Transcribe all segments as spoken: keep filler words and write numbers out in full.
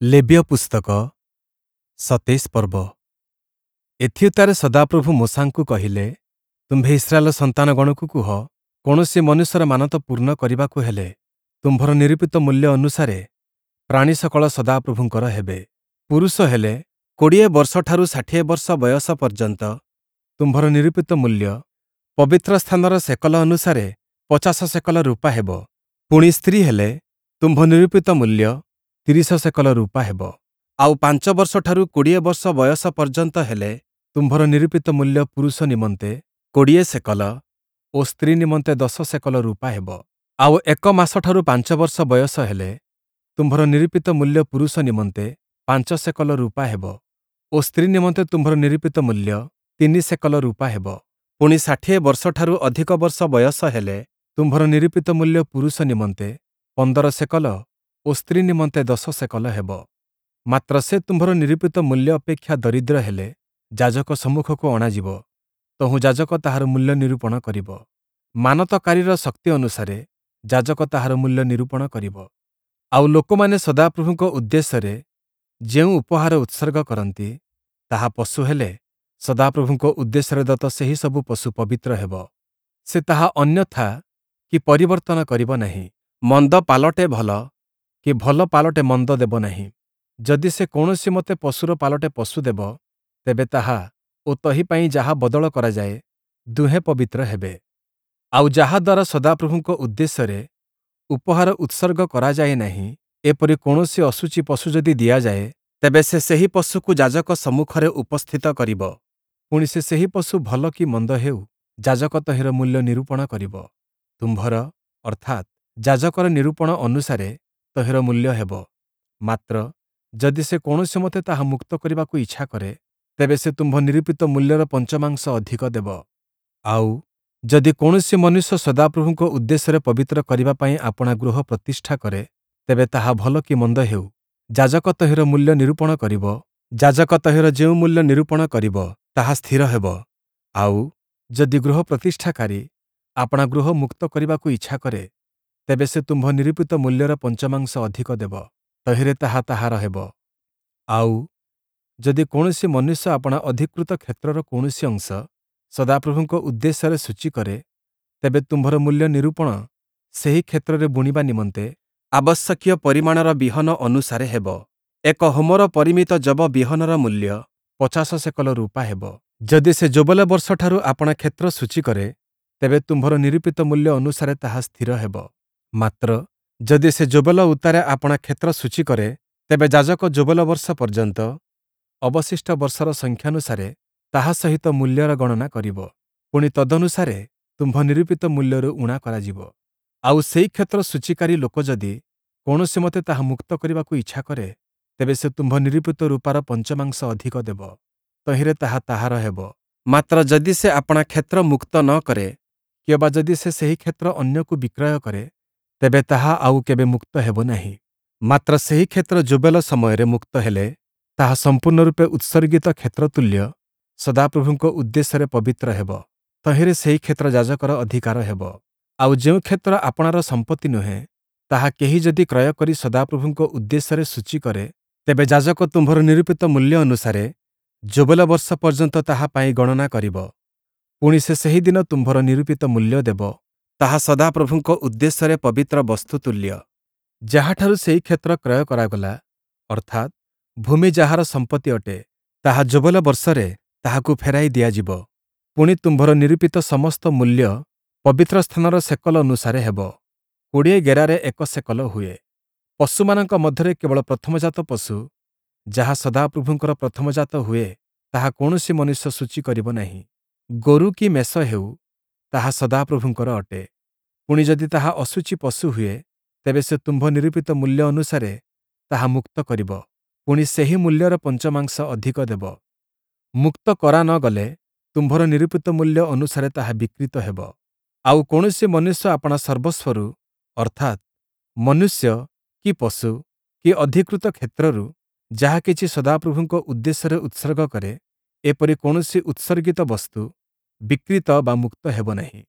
ଲେବୀୟ ପୁସ୍ତକ ସତେଇଶ ପର୍ବ ଏଥିଉତ୍ତାରେ ସଦାପ୍ରଭୁ ମୋଶାଙ୍କୁ କହିଲେ, ତୁମ୍ଭେ ଇସ୍ରାଏଲ ସନ୍ତାନଗଣକୁ କୁହ, କୌଣସି ମନୁଷ୍ୟର ମାନତ ପୂର୍ଣ୍ଣ କରିବାକୁ ହେଲେ, ତୁମ୍ଭର ନିରୂପିତ ମୂଲ୍ୟ ଅନୁସାରେ ପ୍ରାଣୀ ସକଳ ସଦାପ୍ରଭୁଙ୍କର ହେବେ। ପୁରୁଷ ହେଲେ କୋଡ଼ିଏ ବର୍ଷଠାରୁ ଷାଠିଏ ବର୍ଷ ବୟସ ପର୍ଯ୍ୟନ୍ତ ତୁମ୍ଭର ନିରୂପିତ ମୂଲ୍ୟ ପବିତ୍ର ସ୍ଥାନର ସେକଲ ଅନୁସାରେ ପଚାଶ ସେକଲ ରୂପା ହେବ। ପୁଣି ସ୍ତ୍ରୀ ହେଲେ ତୁମ୍ଭ ନିରୂପିତ ମୂଲ୍ୟ ତିରିଶ ସେକଲ ରୂପା ହେବ। ଆଉ ପାଞ୍ଚ ବର୍ଷଠାରୁ କୋଡ଼ିଏ ବର୍ଷ ବୟସ ପର୍ଯ୍ୟନ୍ତ ହେଲେ ତୁମ୍ଭର ନିରୂପିତ ମୂଲ୍ୟ ପୁରୁଷ ନିମନ୍ତେ କୋଡ଼ିଏ ସେକଲ ଓ ସ୍ତ୍ରୀ ନିମନ୍ତେ ଦଶ ସେକଲ ରୂପା ହେବ। ଆଉ ଏକ ମାସଠାରୁ ପାଞ୍ଚ ବର୍ଷ ବୟସ ହେଲେ ତୁମ୍ଭର ନିରୂପିତ ମୂଲ୍ୟ ପୁରୁଷ ନିମନ୍ତେ ପାଞ୍ଚ ସେକଲ ରୂପା ହେବ ଓ ସ୍ତ୍ରୀ ନିମନ୍ତେ ତୁମ୍ଭର ନିରୂପିତ ମୂଲ୍ୟ ତିନି ସେକଲ ରୂପା ହେବ। ପୁଣି ଷାଠିଏ ବର୍ଷଠାରୁ ଅଧିକ ବର୍ଷ ବୟସ ହେଲେ ତୁମ୍ଭର ନିରୂପିତ ମୂଲ୍ୟ ପୁରୁଷ ନିମନ୍ତେ ପନ୍ଦର ସେକଲ ଓ ସ୍ତ୍ରୀ ନିମନ୍ତେ ଦଶ ସେକଲ ହେବ। ମାତ୍ର ସେ ତୁମ୍ଭର ନିରୂପିତ ମୂଲ୍ୟ ଅପେକ୍ଷା ଦରିଦ୍ର ହେଲେ ଯାଜକ ସମ୍ମୁଖକୁ ଅଣାଯିବ, ତହୁଁ ଯାଜକ ତାହାର ମୂଲ୍ୟ ନିରୂପଣ କରିବ। ମାନତକାରୀର ଶକ୍ତି ଅନୁସାରେ ଯାଜକ ତାହାର ମୂଲ୍ୟ ନିରୂପଣ କରିବ। ଆଉ ଲୋକମାନେ ସଦାପ୍ରଭୁଙ୍କ ଉଦ୍ଦେଶ୍ୟରେ ଯେଉଁ ଉପହାର ଉତ୍ସର୍ଗ କରନ୍ତି, ତାହା ପଶୁ ହେଲେ ସଦାପ୍ରଭୁଙ୍କ ଉଦ୍ଦେଶ୍ୟରେ ଦତ୍ତ ସେହି ସବୁ ପଶୁ ପବିତ୍ର ହେବ। ସେ ତାହା ଅନ୍ୟଥା କି ପରିବର୍ତ୍ତନ କରିବ ନାହିଁ। ମନ୍ଦ ପାଲଟେ ଭଲ କି ଭଲ ପାଲଟେ ମନ୍ଦ ଦେବ ନାହିଁ। ଯଦି ସେ କୌଣସିମତେ ପଶୁର ପାଲଟେ ପଶୁ ଦେବ, ତେବେ ତାହା ଓ ତହିଁ ପାଇଁ ଯାହା ବଦଳ କରାଯାଏ, ଦୁହେଁ ପବିତ୍ର ହେବେ। ଆଉ ଯାହା ଦ୍ୱାରା ସଦାପ୍ରଭୁଙ୍କ ଉଦ୍ଦେଶ୍ୟରେ ଉପହାର ଉତ୍ସର୍ଗ କରାଯାଏ ନାହିଁ, ଏପରି କୌଣସି ଅଶୁଚି ପଶୁ ଯଦି ଦିଆଯାଏ, ତେବେ ସେ ସେହି ପଶୁକୁ ଯାଜକ ସମ୍ମୁଖରେ ଉପସ୍ଥିତ କରିବ। ପୁଣି ସେ ସେହି ପଶୁ ଭଲ କି ମନ୍ଦ ହେଉ, ଯାଜକ ତହିଁର ମୂଲ୍ୟ ନିରୂପଣ କରିବ। ତୁମ୍ଭର ଅର୍ଥାତ୍ ଯାଜକର ନିରୂପଣ ଅନୁସାରେ ତହିଁର ମୂଲ୍ୟ ହେବ। ମାତ୍ର ଯଦି ସେ କୌଣସିମତେ ତାହା ମୁକ୍ତ କରିବାକୁ ଇଚ୍ଛା କରେ, ତେବେ ସେ ତୁମ୍ଭ ନିରୂପିତ ମୂଲ୍ୟର ପଞ୍ଚମାଂଶ ଅଧିକ ଦେବ। ଆଉ ଯଦି କୌଣସି ମନୁଷ୍ୟ ସଦାପ୍ରଭୁଙ୍କ ଉଦ୍ଦେଶ୍ୟରେ ପବିତ୍ର କରିବା ପାଇଁ ଆପଣା ଗୃହ ପ୍ରତିଷ୍ଠା କରେ, ତେବେ ତାହା ଭଲ କି ମନ୍ଦ ହେଉ, ଯାଜକ ତହିଁର ମୂଲ୍ୟ ନିରୂପଣ କରିବ। ଯାଜକ ତହିଁର ଯେଉଁ ମୂଲ୍ୟ ନିରୂପଣ କରିବ, ତାହା ସ୍ଥିର ହେବ। ଆଉ ଯଦି ଗୃହ ପ୍ରତିଷ୍ଠାକାରୀ ଆପଣା ଗୃହ ମୁକ୍ତ କରିବାକୁ ଇଚ୍ଛା କରେ, ତେବେ ସେ ତୁମ୍ଭ ନିରୂପିତ ମୂଲ୍ୟର ପଞ୍ଚମାଂଶ ଅଧିକ ଦେବ, ତହିଁରେ ତାହା ତାହାର ହେବ। ଆଉ ଯଦି କୌଣସି ମନୁଷ୍ୟ ଆପଣା ଅଧିକୃତ କ୍ଷେତ୍ରର କୌଣସି ଅଂଶ ସଦାପ୍ରଭୁଙ୍କ ଉଦ୍ଦେଶ୍ୟରେ ଶୁଚି କରେ, ତେବେ ତୁମ୍ଭର ମୂଲ୍ୟ ନିରୂପଣ ସେହି କ୍ଷେତ୍ରରେ ବୁଣିବା ନିମନ୍ତେ ଆବଶ୍ୟକୀୟ ପରିମାଣର ବିହନ ଅନୁସାରେ ହେବ। ଏକ ହୋମର ପରିମିତ ଯବ ବିହନର ମୂଲ୍ୟ ପଚାଶ ସେକଲ ରୂପା ହେବ। ଯଦି ସେ ଯୋବେଲ ବର୍ଷଠାରୁ ଆପଣା କ୍ଷେତ୍ର ଶୁଚି କରେ, ତେବେ ତୁମ୍ଭର ନିରୂପିତ ମୂଲ୍ୟ ଅନୁସାରେ ତାହା ସ୍ଥିର ହେବ। ମାତ୍ର ଯଦି ସେ ଯୋବେଲ ଉତ୍ତାରେ ଆପଣା କ୍ଷେତ୍ର ଶୁଚି କରେ, ତେବେ ଯାଜକ ଯୋବେଲ ବର୍ଷ ପର୍ଯ୍ୟନ୍ତ ଅବଶିଷ୍ଟ ବର୍ଷର ସଂଖ୍ୟାନୁସାରେ ତାହା ସହିତ ମୂଲ୍ୟର ଗଣନା କରିବ। ପୁଣି ତଦନୁସାରେ ତୁମ୍ଭ ନିରୂପିତ ମୂଲ୍ୟରୁ ଊଣା କରାଯିବ। ଆଉ ସେହି କ୍ଷେତ୍ର ଶୁଚିକାରୀ ଲୋକ ଯଦି କୌଣସିମତେ ତାହା ମୁକ୍ତ କରିବାକୁ ଇଚ୍ଛା କରେ, ତେବେ ସେ ତୁମ୍ଭ ନିରୂପିତ ରୂପାର ପଞ୍ଚମାଂଶ ଅଧିକ ଦେବ, ତହିଁରେ ତାହା ତାହାର ହେବ। ମାତ୍ର ଯଦି ସେ ଆପଣା କ୍ଷେତ୍ର ମୁକ୍ତ ନ କରେ, କିଅବା ଯଦି ସେ ସେହି କ୍ଷେତ୍ର ଅନ୍ୟକୁ ବିକ୍ରୟ କରେ, ତେବେ ତାହା ଆଉ କେବେ ମୁକ୍ତ ହେବ ନାହିଁ। ମାତ୍ର ସେହି କ୍ଷେତ୍ର ଯୋବେଲ ସମୟରେ ମୁକ୍ତ ହେଲେ, ତାହା ସମ୍ପୂର୍ଣ୍ଣ ରୂପେ ଉତ୍ସର୍ଗିତ କ୍ଷେତ୍ର ତୁଲ୍ୟ ସଦାପ୍ରଭୁଙ୍କ ଉଦ୍ଦେଶ୍ୟରେ ପବିତ୍ର ହେବ। ତହିଁରେ ସେହି କ୍ଷେତ୍ର ଯାଜକର ଅଧିକାର ହେବ। ଆଉ ଯେଉଁ କ୍ଷେତ୍ର ଆପଣାର ସମ୍ପତ୍ତି ନୁହେଁ, ତାହା କେହି ଯଦି କ୍ରୟ କରି ସଦାପ୍ରଭୁଙ୍କ ଉଦ୍ଦେଶ୍ୟରେ ଶୁଚି କରେ, ତେବେ ଯାଜକ ତୁମ୍ଭର ନିରୂପିତ ମୂଲ୍ୟ ଅନୁସାରେ ଯୋବେଲ ବର୍ଷ ପର୍ଯ୍ୟନ୍ତ ତାହା ପାଇଁ ଗଣନା କରିବ। ପୁଣି ସେ ସେହିଦିନ ତୁମ୍ଭର ନିରୂପିତ ମୂଲ୍ୟ ଦେବ, ତାହା ସଦାପ୍ରଭୁଙ୍କ ଉଦ୍ଦେଶ୍ୟରେ ପବିତ୍ର ବସ୍ତୁ ତୁଲ୍ୟ। ଯାହାଠାରୁ ସେହି କ୍ଷେତ୍ର କ୍ରୟ କରାଗଲା, ଅର୍ଥାତ୍ ଭୂମି ଯାହାର ସମ୍ପତ୍ତି ଅଟେ, ତାହା ଯୋବେଲ ବର୍ଷରେ ତାହାକୁ ଫେରାଇ ଦିଆଯିବ। ପୁଣି ତୁମ୍ଭର ନିରୂପିତ ସମସ୍ତ ମୂଲ୍ୟ ପବିତ୍ର ସ୍ଥାନର ସେକଲ ଅନୁସାରେ ହେବ। କୋଡ଼ିଏ ଗେରାରେ ଏକ ସେକଲ ହୁଏ। ପଶୁମାନଙ୍କ ମଧ୍ୟରେ କେବଳ ପ୍ରଥମଜାତ ପଶୁ, ଯାହା ସଦାପ୍ରଭୁଙ୍କର ପ୍ରଥମଜାତ ହୁଏ, ତାହା କୌଣସି ମନୁଷ୍ୟ ଶୁଚି କରିବ ନାହିଁ। ଗୋରୁ କି ମେଷ ହେଉ, ତାହା ସଦାପ୍ରଭୁଙ୍କର ଅଟେ। ପୁଣି ଯଦି ତାହା ଅଶୁଚି ପଶୁ ହୁଏ, ତେବେ ସେ ତୁମ୍ଭ ନିରୂପିତ ମୂଲ୍ୟ ଅନୁସାରେ ତାହା ମୁକ୍ତ କରିବ, ପୁଣି ସେହି ମୂଲ୍ୟର ପଞ୍ଚମାଂଶ ଅଧିକ ଦେବ। ମୁକ୍ତ କରା ନ ଗଲେ ତୁମ୍ଭର ନିରୂପିତ ମୂଲ୍ୟ ଅନୁସାରେ ତାହା ବିକ୍ରୀତ ହେବ। ଆଉ କୌଣସି ମନୁଷ୍ୟ ଆପଣା ସର୍ବସ୍ୱରୁ, ଅର୍ଥାତ୍ ମନୁଷ୍ୟ କି ପଶୁ କି ଅଧିକୃତ କ୍ଷେତ୍ରରୁ ଯାହା କିଛି ସଦାପ୍ରଭୁଙ୍କ ଉଦ୍ଦେଶ୍ୟରେ ଉତ୍ସର୍ଗ କରେ, ଏପରି କୌଣସି ଉତ୍ସର୍ଗିତ ବସ୍ତୁ ବିକ୍ରୀତ ବା ମୁକ୍ତ ହେବ ନାହିଁ।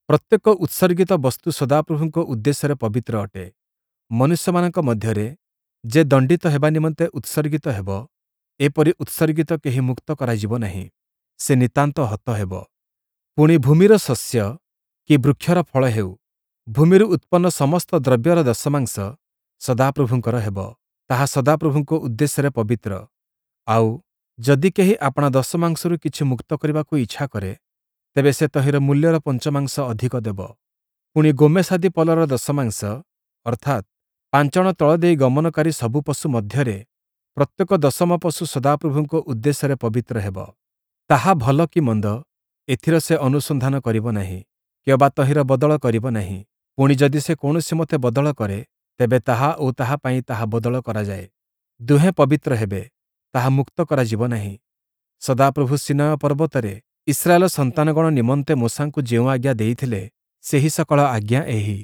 ପ୍ରତ୍ୟେକ ଉତ୍ସର୍ଗିତ ବସ୍ତୁ ସଦାପ୍ରଭୁଙ୍କ ଉଦ୍ଦେଶ୍ୟରେ ପବିତ୍ର ଅଟେ। ମନୁଷ୍ୟମାନଙ୍କ ମଧ୍ୟରେ ଯେ ଦଣ୍ଡିତ ହେବା ନିମନ୍ତେ ଉତ୍ସର୍ଗିତ ହେବ, ଏପରି ଉତ୍ସର୍ଗିତ କେହି ମୁକ୍ତ କରାଯିବ ନାହିଁ, ସେ ନିତାନ୍ତ ହତ ହେବ। ପୁଣି ଭୂମିର ଶସ୍ୟ କି ବୃକ୍ଷର ଫଳ ହେଉ, ଭୂମିରୁ ଉତ୍ପନ୍ନ ସମସ୍ତ ଦ୍ରବ୍ୟର ଦଶମାଂଶ ସଦାପ୍ରଭୁଙ୍କର ହେବ, ତାହା ସଦାପ୍ରଭୁଙ୍କ ଉଦ୍ଦେଶ୍ୟରେ ପବିତ୍ର। ଆଉ ଯଦି କେହି ଆପଣା ଦଶମାଂଶରୁ କିଛି ମୁକ୍ତ କରିବାକୁ ଇଚ୍ଛା କରେ, ତେବେ ସେ ତହିଁର ମୂଲ୍ୟର ପଞ୍ଚମାଂଶ ଅଧିକ ଦେବ। ପୁଣି ଗୋମେଷାଦି ପଲର ଦଶମାଂଶ, ଅର୍ଥାତ୍ ପାଞ୍ଚଣ ତଳ ଦେଇ ଗମନକାରୀ ସବୁ ପଶୁ ମଧ୍ୟରେ ପ୍ରତ୍ୟେକ ଦଶମ ପଶୁ ସଦାପ୍ରଭୁଙ୍କ ଉଦ୍ଦେଶ୍ୟରେ ପବିତ୍ର ହେବ। ତାହା ଭଲ କି ମନ୍ଦ, ଏଥିର ସେ ଅନୁସନ୍ଧାନ କରିବ ନାହିଁ, କିଅବା ତହିଁର ବଦଳ କରିବ ନାହିଁ। ପୁଣି ଯଦି ସେ କୌଣସିମତେ ବଦଳ କରେ, ତେବେ ତାହା ଓ ତାହା ପାଇଁ ତାହା ବଦଳ କରାଯାଏ, ଦୁହେଁ ପବିତ୍ର ହେବେ, ତାହା ମୁକ୍ତ କରାଯିବ ନାହିଁ। ସଦାପ୍ରଭୁ ସୀନୟ ପର୍ବତରେ ଇସ୍ରାଏଲ ସନ୍ତାନଗଣ ନିମନ୍ତେ ମୋଶାଙ୍କୁ ଯେଉଁ ଆଜ୍ଞା ଦେଇଥିଲେ, ସେହି ସକଳ ଆଜ୍ଞା ଏହି।